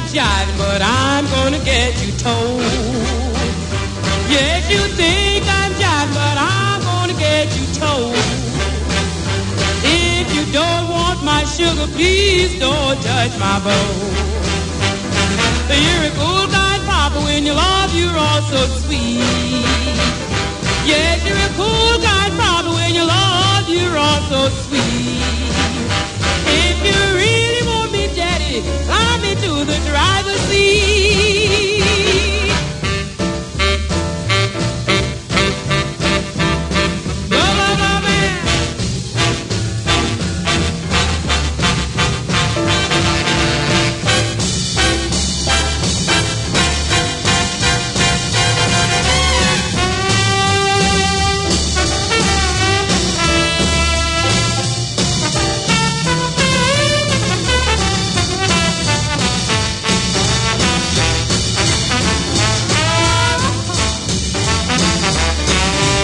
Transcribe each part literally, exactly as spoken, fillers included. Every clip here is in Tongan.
Jiving, but I'm gonna get you told. Yes, you think I'm jiving, but I'm gonna get you told. If you don't want my sugar, please don't touch my bowl. You're a cool kind, Papa, when you love, you're all so sweet. Yes, you're a cool kind, Papa, when you love, you're all so sweet. If you really want me, Daddy, fly me to the driver's seat. Blah, blah, blah, man.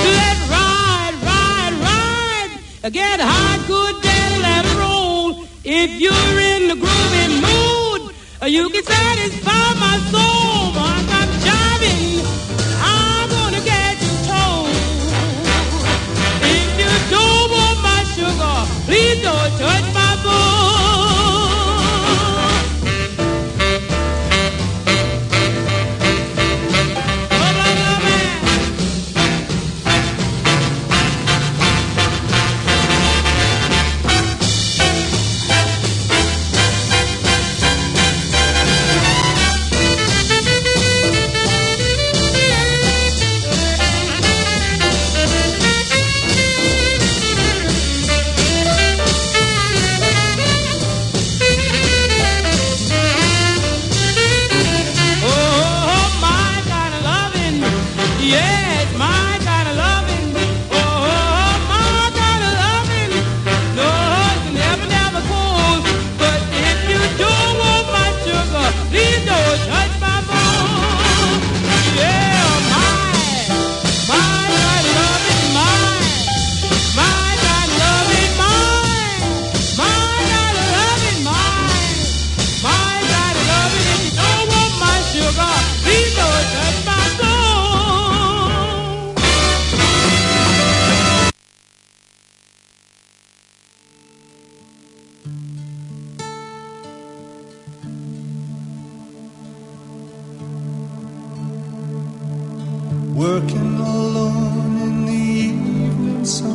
Let's ride, ride, ride. Get high, good devil, and roll. If you're in the groovy mood, you can satisfy my soul. Once I'm jiving, I'm gonna get you told. If you don't want my sugar, please don't touch my bowl. Oh, my kind of loving. Yes, my kind of loving. Oh, my kind of loving. No, it's never, never cold. But if you don't want my sugar, please don't touch my bone. Yeah, my, my kind of loving, my, my kind of loving, my, my kind of loving, my. My God, love it, if you don't want my sugar, please don't touch my soul. Working alone in the evening sun,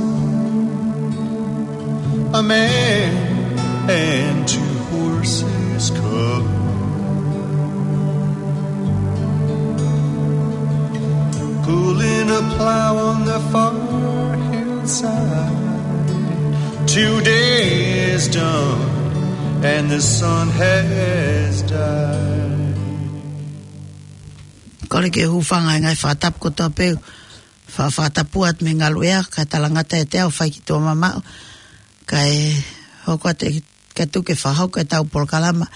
a man and two horses come, pulling a plow on the far hillside. Two days done, and the sun has died. Kole ke u hūfanga he ngaahi fakatapu kotoa pē, fa-, fakatapu atu mei he ngaluʻea, kae talangata ʻiate au fai ki tuʻa mamaʻo, kae hoko atu ke tuku ke fakahoko ʻetau polokalama,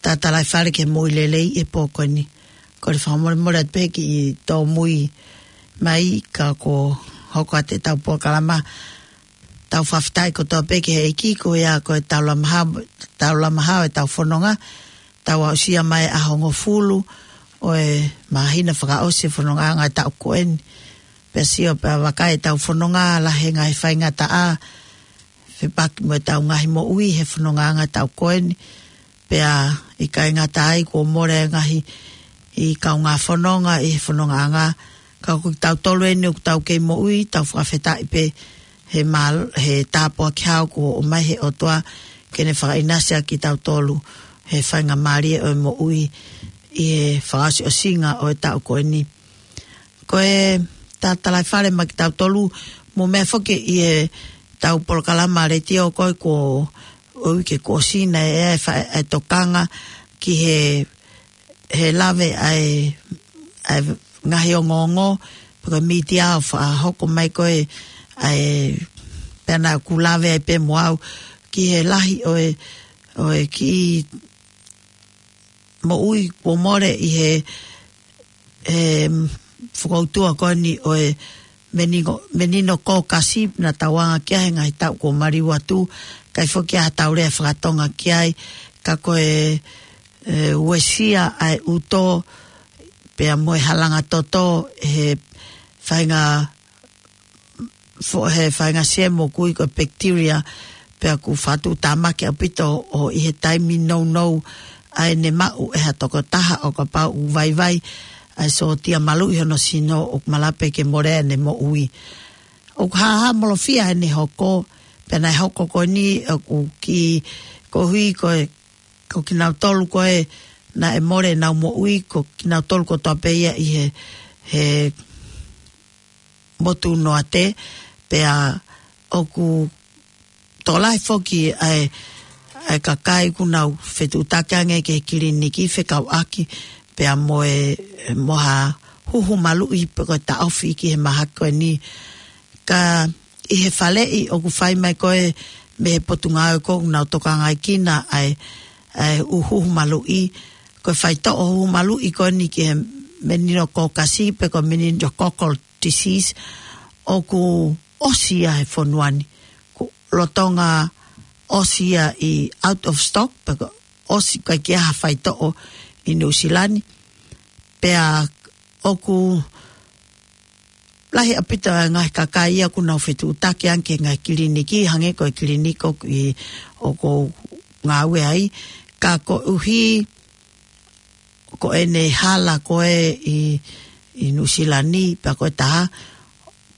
Tatalaifale ki he Moʻui Lelei he pō ko eni. Kole fakamolemole atu pē ki he tōmui mai ka ko e hoko atu ʻetau polokalama, tau fakafetaʻi kotoa pē ki he ʻEiki ko ia ko e taulama hao, taulama hao ʻetau fononga, tau aʻusia mai ʻaho hongofulu ʻo e māhina fakaʻosi e fonongaʻanga ʻo e taʻu ko eni. Pea sio pea vakai ʻetau fononga lahi e ngaahi faingataʻa, fepaki mo ʻetau ngaahi moʻui he fonongaʻanga ʻo e taʻu ko eni. Pea ʻikai ngata ai kuo mole e ngaahi kaungā fononga ʻi he fonongaʻanga. Ka ko kitautolu eni ʻoku tau kei moʻui, tau fakafetaʻi pē he mal-, he tāpuaki hao kuo ʻomai he ʻOtua ke ne fakaʻinasi ʻa kitautolu he faingamālie ʻo e moʻui ʻi he fakaʻosiʻosinga ʻo e taʻu ko eni. Ko e Tatalaifale maʻa kitautolu, mou meʻa foki ʻi heʻetau polokalama letiō ko ē ko e uike kuo ʻosi naʻe ʻi ai e fa-, e tokanga ki he, he lave ʻa e, ʻa e ngaahi ongoongo, pe ko e mītia ʻo fakahoko mai ko ē ʻa e pea naʻa ku lave ai pē mo au ki he lahi ʻo e, ʻo e kiʻi moʻui kuo mole ʻi he, he fokoutua ko eni ʻo e menino-, meningococcal, naʻa tau anga ki ai he ngaahi taʻu kuo maliu atu, ʻikai foki ha tau lea fakatonga ki ai, ka ko e e, uesia ʻa e ʻuto, pea mo e halanga toto, he faʻahinga fo-, he faʻahinga semo kui ko e bacteria, pea ʻoku fakatuʻutāmaki ʻaupito ʻo ʻi he taimi nounou ʻa ʻene maʻu ʻe ha tokotaha ʻo kapau ʻoku vaivai ʻa e sōtia maluʻi hono sino ʻoku malava pē ke mole ʻene moʻui. ʻOku hāhāmolofia ʻene hoko, pea naʻe hoko ko eni ʻoku ki-, koeʻuhi ko e, ko kinautolu ko ē naʻe mole ʻenau moʻui, ko kinautolu kotoa pē ia ʻi he, he motu Noate, pea ʻoku tokolahi foki ʻa e, ʻa e kakai ʻoku nau fetuʻutaki ange ki he kiliniki fekauʻaki pea mo e, mo ha huhu maluʻi pe ko e taʻofi ki he mahaki ko eni. Ka ʻi he faleʻi ʻoku fai mai ko ē mei he potungāue ko ē ʻoku nau tokangaekina ʻa e, ʻa e huhu maluʻi, ko e faitoʻo huhu maluʻi ko eni ki he meningococcal pe ko e meningococcal disease, ʻoku ʻosi ia he fonua ni. Ko e lolotonga ʻosi ia ʻi out of stock, pe ko e ʻosi ʻikai ke ʻi ai ha faitoʻo ʻi Nuʻusila ni. Pea ʻoku lahi ʻaupito ʻa e ngaahi kakai ia ʻoku nau fetuʻutaki ange ki he ngaahi kiliniki, hangē ko e kiliniki ʻoku ʻi, ʻoku ou ngāue ai. Ka koeʻuhi ko ʻene hala ko ē ʻi, ʻi Nuʻusila ni, pea ko e taha,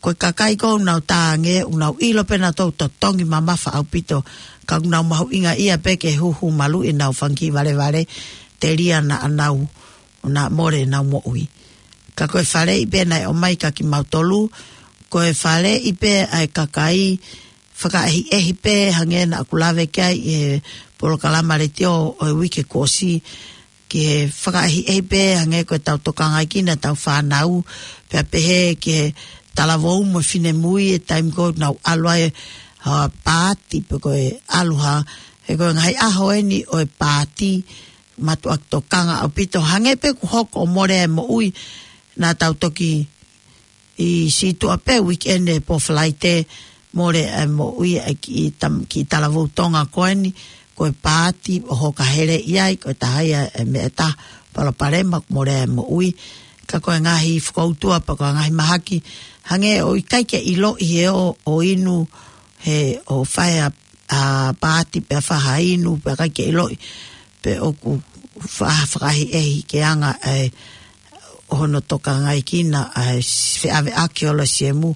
ko e kakai ko ē ʻoku nau tā ange, ʻoku nau ʻilo pē nautolu totongi mamafa ʻaupito, ka ʻoku nau mahuʻingaʻia pē ke huhu maluʻi ʻenau fanga kiʻi valevale, telia naʻa nau, naʻa mole ʻenau moʻui. Ka ko e faleʻi pē naʻe ʻomai kia kimautolu, ko e faleʻi pē ʻa e kakai, fakaʻehiʻehi pē hangē naʻa ku lave ki ai ʻi he polokalama letiō ʻo e uike kuo ʻosi, ki he fakaʻehiʻehi pē hangē ko ʻetau tokangaekina ʻetau fānau, pea pehē ki he talavou mo e finemui ʻi he taimi ko ē ʻoku nau ʻalu ai, ha, paati pe ko e ʻalu ha, he ko e ngaahi ʻaho eni ʻo e paati, mātuʻaki tokanga ʻaupito, hangē pē kuo hoko ʻo mole ʻa e moʻui, naʻa tau toki ʻi sītuʻa pē weekend ē, pō Falaite, mole ʻa e moʻui ʻa e kiʻi tam-, kiʻi talavou Tonga ko eni, ko e paati ʻo hoka hele ʻi ai, ko e taha ia e meʻa ʻe taha palopalema, mole ʻa e moʻui. Ka ko e ngaahi fokoutua pe ko e ngaahi mahaki, hangē ʻoku ʻikai ke ʻiloʻi he ʻoku inu, he ʻoku fai ʻa, ʻa paati pea fai ha inu pea ʻikai ke ʻiloʻi pe ʻoku fa-, fakaʻehiʻehi ki he anga ʻa e hono tokangaekina ʻa e feʻaveʻaki ʻo e siemu,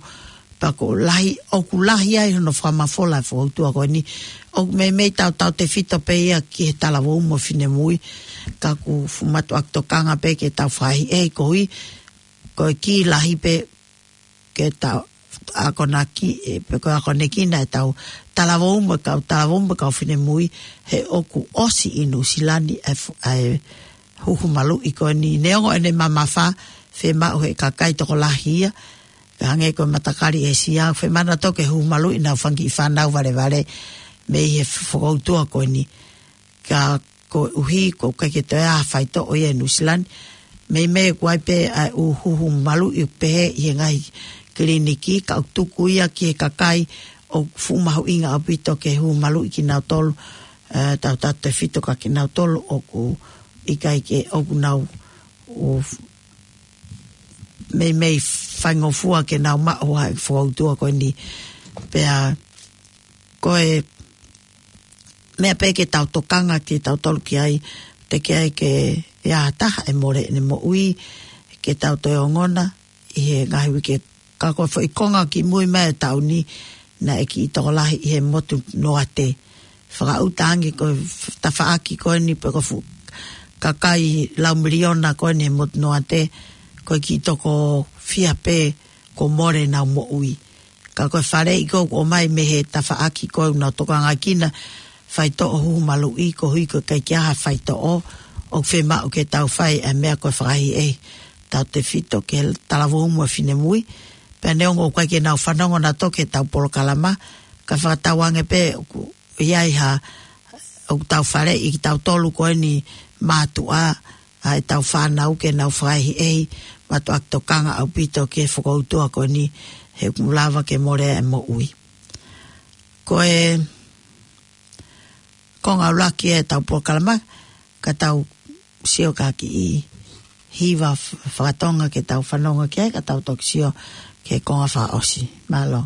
pea ʻoku lahi, ʻoku lahi ai hono fakamafola e fokoutua ko eni. ʻOku meimei tautautefito pē ia ki he talavou mo e finemui, ka ʻoku fuʻu mātuʻaki tokanga pē ke tau fakaʻehiʻehi koeʻuhi, ko e kī lahi pē ke tau akonaki, ē, pe ko e akonekina ʻetau talavou mo e kau, talavou mo e kau finemui, he ʻoku ʻosi ʻi Nuʻusila ni ʻa e fu-, ʻa e huhu maluʻi ko eni, neongo ʻene mamafa, fiemaʻu he kakai tokolahi ia, ka hangē ko e matakali ʻĒsia, fiemaʻu nautolu ke huhu maluʻi ʻenau fanga kiʻi fānau valevale mei he fokoutua ko eni. Ka koeʻuhi ʻoku ʻikai ke toe ʻi ai ha faitoʻo ia ʻi Nuʻusila ni. Meimei ʻoku ʻi ai pē ʻa e ʻū huhu maluʻi ʻoku pehē ʻi he ngaahi kiliniki, ka ʻoku tuku ia ki he kakai ʻoku fuʻu mahuʻinga ʻaupito ke huhu maluʻi kinautolu, ē, tautautefito kia kinautolu ʻoku ʻikai ke, ʻoku nau, ʻo f-, meimei faingofua ke nau maʻu ʻa e fokoutua ko eni. Pea ko e meʻa pē ke tau tokanga kitautolu ki ai, teʻeki ai ke ʻi ai ha taha ʻe mole ʻene moʻui, ke tau toe ongona ʻi he ngaahi uike. Ka ko e foʻi konga kimui mai e taʻu ni, naʻe kiʻi tokolahi ʻi he motu Noate. Fakaʻuta ange ko e f-, tafaʻaki ko eni pe ko e fuʻu kakai lau miliona ko eni he motu Noate, ko e kiʻi toko fiha pē kuo mole ʻenau moʻui. Ka ko e faleʻi ko ē ʻoku ʻomai mei he tafaʻaki ko ē ʻoku nau tokangaekina faitoʻo huhu maluʻi, koeʻuhi ko e ʻikai ke ʻi ai ha faitoʻo, ʻoku fiemaʻu ke tau fai ʻa e meʻa ko e fakaʻehiʻehi tautefito ki he talavou mo e finemui. Pea neongo ʻoku ʻikai ke nau fanongo nautolu ki heʻetau polokalama, ka fakatauange pē ʻoku ʻi ai ha, ʻoku tau faleʻi kitautolu ko eni mātuʻa, ʻa ʻetau fānau ke nau fakaʻehiʻehi, mātuʻaki tokanga ʻaupito ki he fokoutua ko eni, he ʻoku lava ke mole ʻa e moʻui. Ko e konga ʻuluaki ʻetau polokalama, ka tau sio ki ha kiʻi hiva f-, fakatonga ke tau fanongo ki ai, ka tau toki sio ki he konga fakaʻosi. Mālō.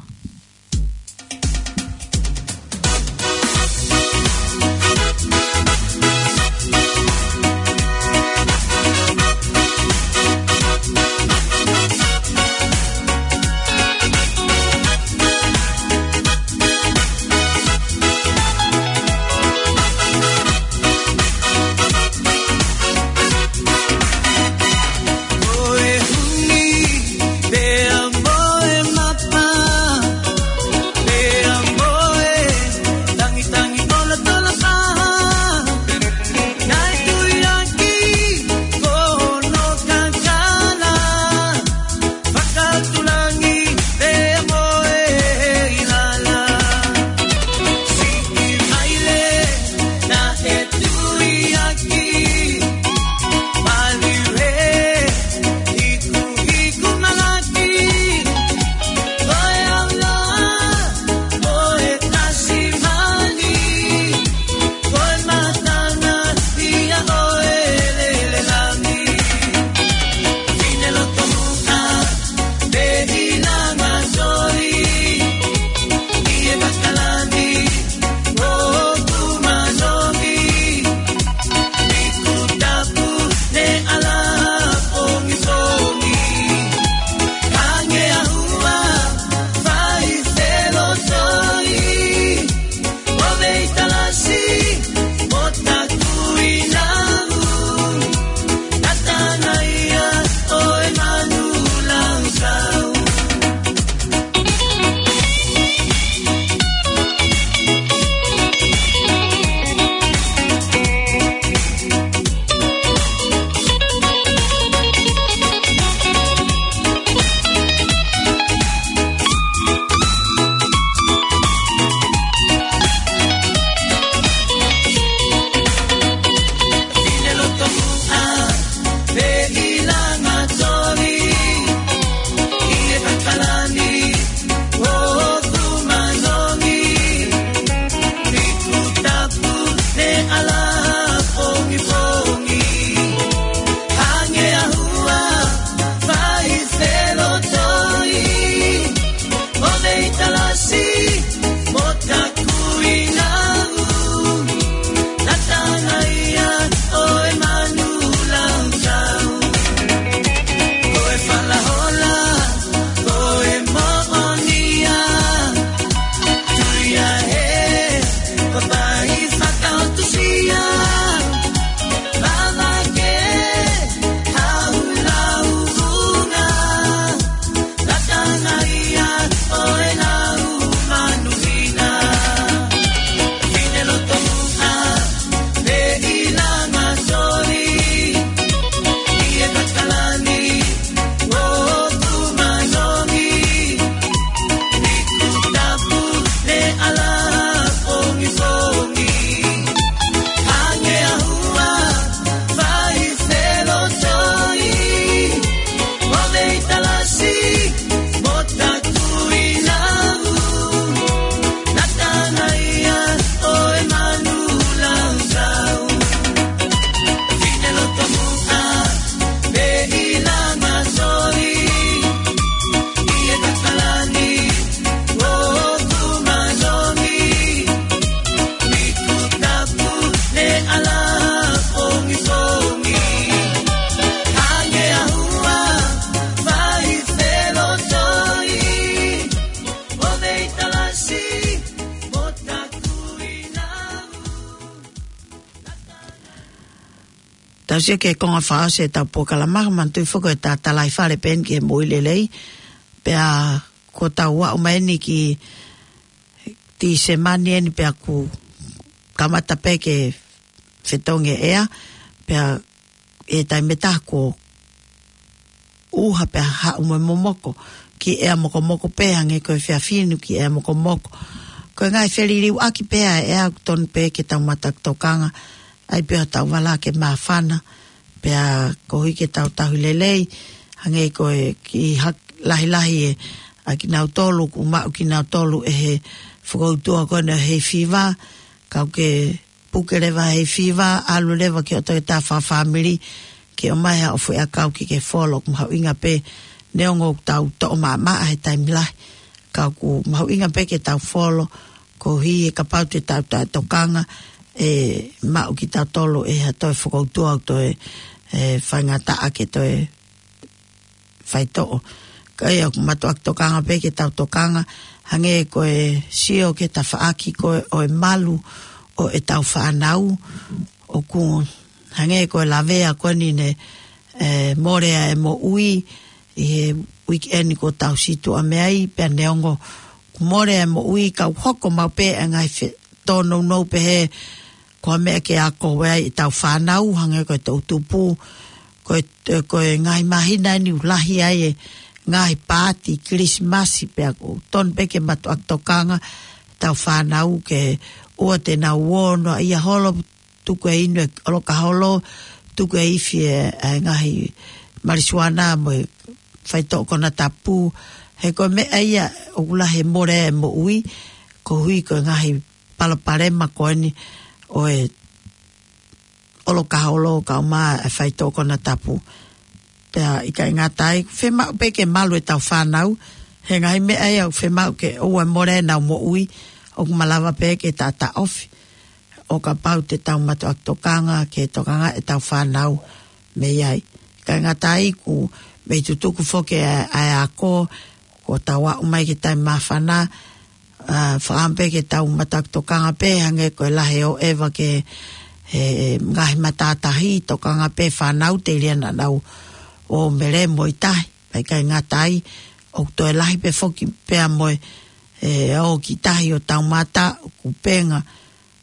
Tau sio ki he konga fakaʻosi ʻetau polokalama, manatuʻi foki ʻetau tala ʻi fale pē eni ki he moʻui lelei. Pea ko ʻetau aʻu mai eni ki Tīsema ni eni pea kuo kamata pē ke fetongi e ʻea, pea ʻi he taimi ʻe taha kuo ʻuha pea haʻu mo e momoko, kiʻi ʻea mokomoko pē hangē ko e efiafi ni, kiʻi ʻea mokomoko. Ko e ngaahi feliliuaki pē ʻa e ʻea ʻoku tonu pē ke tau mata tokanga ai pē ʻo tau vala ke māfana, pea koeʻuhi ke tau tauhi lelei, hangē ko e kiʻi hak-, lahilahi ʻa kinautolu, ʻoku maʻu kinautolu ʻe he fokoutua ko ena ʻo e hay fever, kau ke puke leva he fiva, ʻalu leva ki hoʻo toketā fakafāmili, ke ʻomai haʻo foʻiʻakau ke ke folo. ʻOku mahuʻinga pē, neongo ʻoku tau toʻo maʻamaʻa he taimi lahi, ka ʻoku mahuʻinga pē ke tau folo, koeʻuhi he kapau te tau taʻetokanga, ʻe maʻu kitautolu ʻe ha toe fokoutua ʻoku toe, ʻe, faingataʻa ke toe faitoʻo. Ka ʻi heʻeku mātuʻaki tokanga pē ke tau tokanga, hangē ko e sio ki he tafaʻaki ko ē ʻo e malu ʻo ʻetau fānau, ʻoku hangē ko e lavea ko eni ne, ʻe, mole ai e moʻui ʻi he weekend kuo tau situʻa mei ai, pea neongo ʻoku mole ai e moʻui, ka ʻoku hoko maʻu pē e ngaahi fe-, tōnounou pehē, ko e meʻa ke ako ai ʻetau fānau, hangē ko e toʻutupu, ko e, ko e ngaahi māhina ni ʻoku lahi ai e ngaahi paati Kilisimasi, pea ʻoku tonu pē ke mātuʻaki tokanga ʻetau fānau ke ʻoua te nau ō noaʻia holo, tuku e inu e ʻolokaholo, tuku e ifi e, e ngaahi malisiuana mo e faitoʻo konatapu, he ko e meʻa ia ʻoku lahi e mole e moʻui, koeʻuhi ko e ngaahi palopalema ko eni ʻo e ʻolokaholo kaeʻumaʻā e faitoʻo konatapu. Pea ʻikai ngata ai, fiemaʻu pē ke malu ʻetau fānau, he ngaahi meʻa ia ʻoku fiemaʻu ke ʻoua ʻe mole ʻenau moʻui, ʻoku malava pē ke taʻataʻofi ʻo kapau te tau mātuʻaki tokanga ke tokanga ʻetau fānau mei ai. ʻIkai ngata ai, ʻoku mei tutuku foki ʻa e, ʻa e ako, kuo tau aʻu mai ki he taimi māfana, ʻa, fakaʻamu pē ke tau mātuʻaki tokanga pē, hangē ko e lahi ʻo ʻeva ke, he, he ngaahi matātahi, tokanga pē fānau telia naʻa nau ō mei lele mo e tahi, pea ʻikai ngata ai, ʻoku toe lahi pē foki pea mo e, ʻe, ō ki tahi ʻo taumātaʻu, kupenga,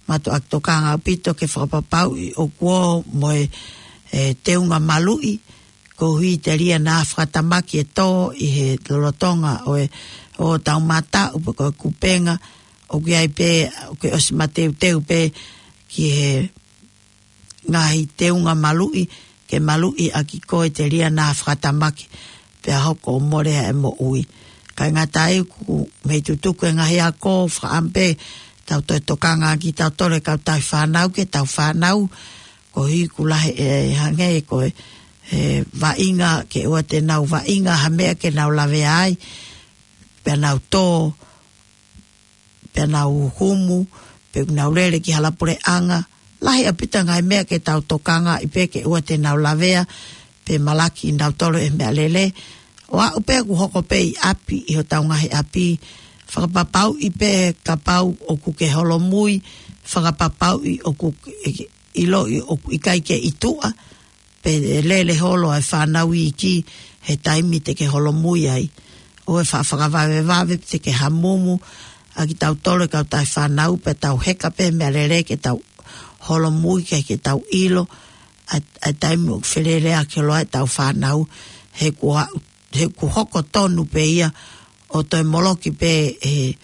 mātuʻaki tokanga ʻaupito ke fakapapauʻi ʻoku ō mo e, ʻe, teunga maluʻi, koeʻuhi telia naʻa fakatamaki e tō ʻi he lolotonga ʻo e, ʻo taumātaʻu pe ko e kupenga, ʻoku ʻi ai pē, ʻoku ʻosi mateuteu pē ki he ngaahi teunga maluʻi, ke maluʻi ʻaki koe telia naʻa fakatamaki, pea hoko ʻo mole ai e moʻui. ʻIkai ngata ai, ʻoku mei tutuku e ngaahi ako, fakaʻamu pē tau toe tokanga ʻaki tautolu e kautahi fānau ki heʻetau fānau, koeʻuhi ʻoku lahi e hangē ko e, e vaʻinga, ke ʻoua te nau vaʻinga ha meʻa ke nau lavea ai, pea nau tō, pea nau humu, pe nau lele ki hala puleʻanga. Lahi ʻaupito ngaahi meʻa ke tau tokanga ai pē ke ʻoua te nau lavea, pe malaki nautolu ʻe he meʻalele. ʻO aʻu pē ʻoku hoko pē ʻi ʻapi, ʻi hotau ngaahi ʻapi, fakapapauʻi pē kapau ʻoku ke holomui, fakapapauʻi ʻoku ke ʻiloʻi ʻoku ʻikai ke ʻi tuʻa, pe ʻe lele holo ai e fānau iiki he taimi te ke holomui ai. ʻOua ʻe fa-, fakavavevave pe te ke hamumu ʻaki tautolu e kautahi fānau, pea tau heka pē meʻalele ke tau holomui ke, ke tau ʻilo ʻa e, ʻa e taimi ʻoku feleleʻaki holo ai ʻetau fānau, he kuo, he kuo hoko tonu pē ia ʻo toe moloki pē ʻe,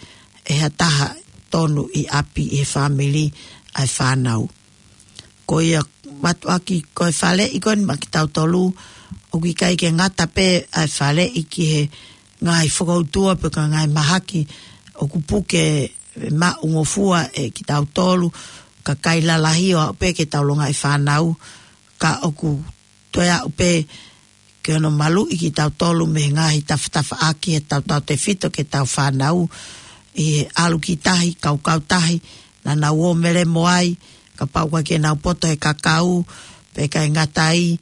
ʻe ha taha tonu ʻi ʻapi ʻi he fāmili ʻa e fānau. Ko ia mātuʻaki ko e faleʻi ko eni maʻa kitautolu, ʻoku ʻikai ke ngata pē ʻa e faleʻi ki he ngaahi fokoutua pe ko e ngaahi mahaki ʻoku puke maʻungofua ʻe kitautolu, kakai lalahi ʻo aʻu pē ki heʻetau longaʻi fānau, ka ʻoku toe aʻu pē ke hono maluʻi kitautolu mei he ngaahi tafatafaʻaki ʻe tautautefito ki heʻetau fānau ʻi he ʻalu ki tahi, kaukau tahi, naʻa nau ō mei lele mo ai, kapau ʻoku ʻikai ke nau poto he kakau, pea ʻikai ngata ai,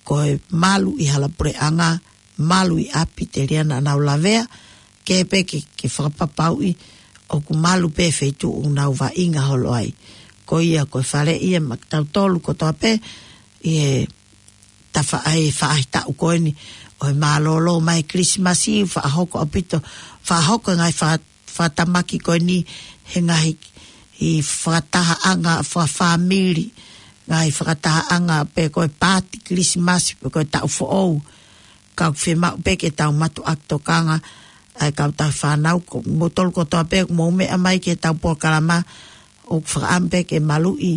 ko e malu ʻi hala puleʻanga, malu ʻi ʻapi telia naʻa nau lavea, ke pē ke, ke fakapapauʻi ʻoku malu pē feituʻu ʻoku nau vaʻinga holo ai. Ko ia ko e faleʻi ia maʻa kitautolu kotoa pē, ʻi he tafa-, ʻa e faʻahitaʻu ko eni ʻo e mālōlō mai Kilisimasi, faʻa hoko ʻaupito, faʻa hoko e ngaahi fa-, fakatamaki ko eni he ngaahi ʻi fakatahaʻanga fakafāmili, ngaahi fakatahaʻanga pe ko e paati Kilisimasi, pe ko e taʻu foʻou, ka ʻoku fiemaʻu pē ke tau mātuʻaki tokanga ʻa e kautahi fānau, ko moutolu kotoa pē ʻoku mou meʻa mai ki heʻetau polokalama, ʻoku fakaʻamu pē ke maluʻi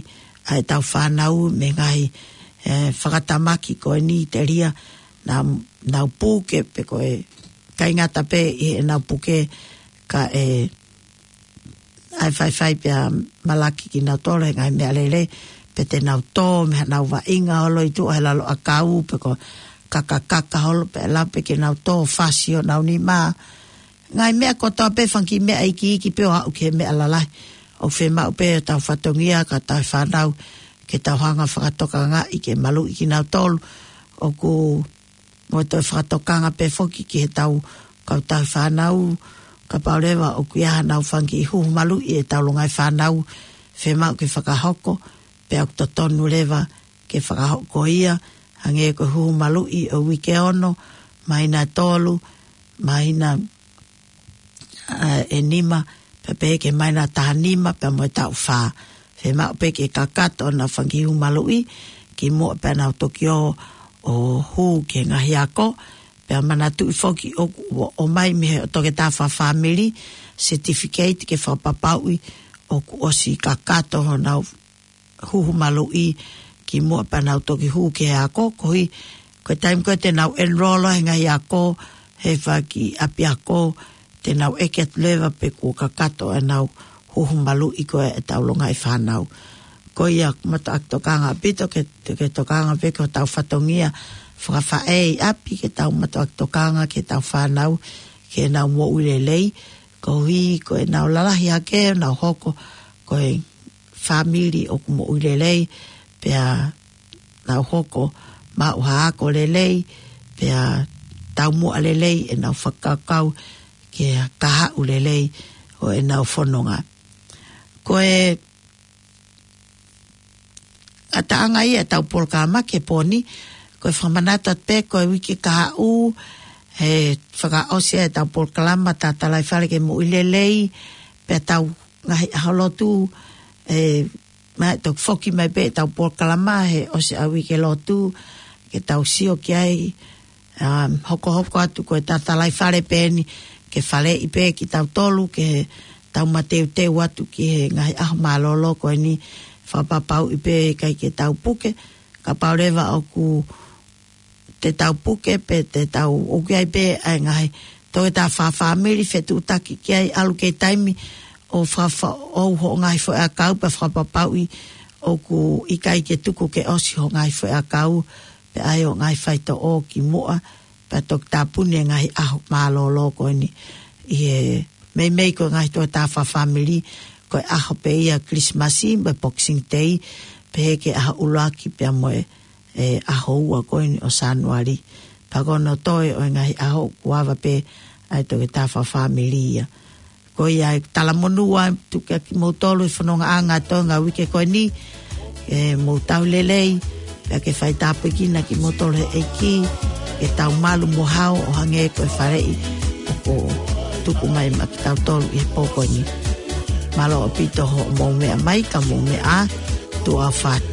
ʻa ʻetau fānau mei he ngaahi, ʻe, fakatamaki ko eni telia naʻa nau puke pe ko e ʻikai ngata pē ʻi heʻenau puke ka ʻe ʻai faifai pea malaki kinautolu he ngaahi meʻalele, pe te nau tō mei haʻanau vaʻinga holo ʻi tuʻa he lalo ʻakau, pe ko e kakakaka holo, pe ʻe lava pē ke nau tō fasi honau nima. Ngaahi meʻa kotoa pē, fanga kiʻi meʻa ikiiki pē ʻo aʻu ki he meʻa lalahi. ʻOku fiemaʻu pē ʻe hotau fatongia ka tau fānau ke tau hanga ʻo fakatokangaʻi ke maluʻi kinautolu. ʻOku mo e toe fakatokanga pē foki ki heʻetau kautaha fānau, kapau leva ʻoku ʻi ai haʻanau fanga kiʻi huhu maluʻi ʻetau longaʻi fānau, fiemaʻu ke fakahoko, pea ʻoku totonu leva ke fakahoko ia, hangē ko e huhu maluʻi ʻo e uike ono, māhina ʻe tolu, māhina ʻa, ʻe nima, pea pehē ki he māhina ʻe taha nima, pea mo e taʻu fā. Fiemaʻu pē ke kakato honau fanga kiʻi huhu maluʻi, kimuʻa pea nau toki ō ʻo hū ki he ngaahi ako, pea manatuʻi foki ʻoku ʻomai mei he toketā fakafāmili, certificate ke fakapapauʻi ʻoku ʻosi kakato honau huhu maluʻi kimuʻa pea nau toki hū ki he ako, koeʻuhi, ko e taimi ko ē te nau enroll he ngaahi ako, he fanga kiʻi ʻapiako, te nau ʻeke atu leva pe kuo kakato ʻenau huhu maluʻi ko ē ʻetau longaʻi fānau. Ko ia, matuʻaki tokanga ʻaupito ke, ke tokanga pē ki hotau fatongia fakafaʻē ʻi ʻapi, ke tau matuʻaki tokanga ki heʻetau fānau, ke nau moʻui lelei, koeʻuhi ko ʻenau lalahi hake, nau hoko ko e fāmili ʻoku moʻui lelei, pea nau hoko maʻu ha ako lelei, pea taumuʻa lelei ʻenau fakakaukau ki he kahaʻu lelei ʻo ʻenau fononga. Ko e ʻataʻanga ia ʻetau polokalama ki he pō ni, ko e fakamanatu atu pē ko e uike kahaʻu, he fakaʻosi ʻetau polokalama Tatalaifale ki he Moʻui Lelei, pea tau ngaahi ʻaho lotu, ʻe, ma toki foki mai pē ʻetau polokalama he ʻosi ʻa e uike lotu, ke tau sio ki ai, um, hokohoko atu ko e Tatalaifale pē eni, ke faleʻi pē kitautolu, ke tau mateuteu atu ki he ngaahi ʻaho mālōlō ko eni, fakapapauʻi pē ʻikai ke tau puke, kapau leva ʻoku te tau puke pe te tau ʻoku ʻi ai pē ʻa e ngaahi toketā fakafāmili fetuʻutaki ki ai, ʻalu ki he taimi ʻo fakafa-, ʻo hoʻo ngaahi foʻiʻakau pea fakapapauʻi ʻoku ʻikai ke tuku ke ʻosi hoʻo ngaahi foʻiʻakau, pea ʻai hoʻo ngaahi faitoʻo kimuʻa, pea toki tāpuni e ngaahi ʻaho mālōlō ko eni ʻi he meimei ko e ngaahi toketā fakafāmili, ko e ʻaho pē ia Kilisimasi mo e Boxing Day, pehē ki he ʻaho ʻuluaki pea mo e, e ʻaho ua ko eni ʻo Sānuali. Pea ko hono toe ʻo e ngaahi ʻaho kuo ava pē ʻa e toketā fakafāmili ia. Ko ia e talamonū atu kiate kimoutolu he fonongaʻanga ʻo e ngaahi uike ko eni, ke mou tau lelei, pea ke fai tāpuekina kimoutolu ʻe he ʻEiki, ke tau malu mo hao ʻo hangē ko e faleʻi ʻoku tuku mai maʻa kitautolu ʻi he pō ko eni. Mālō ʻaupito hoʻomou meʻa mai, ka mou meʻa ā, tuʻa ʻofa atu.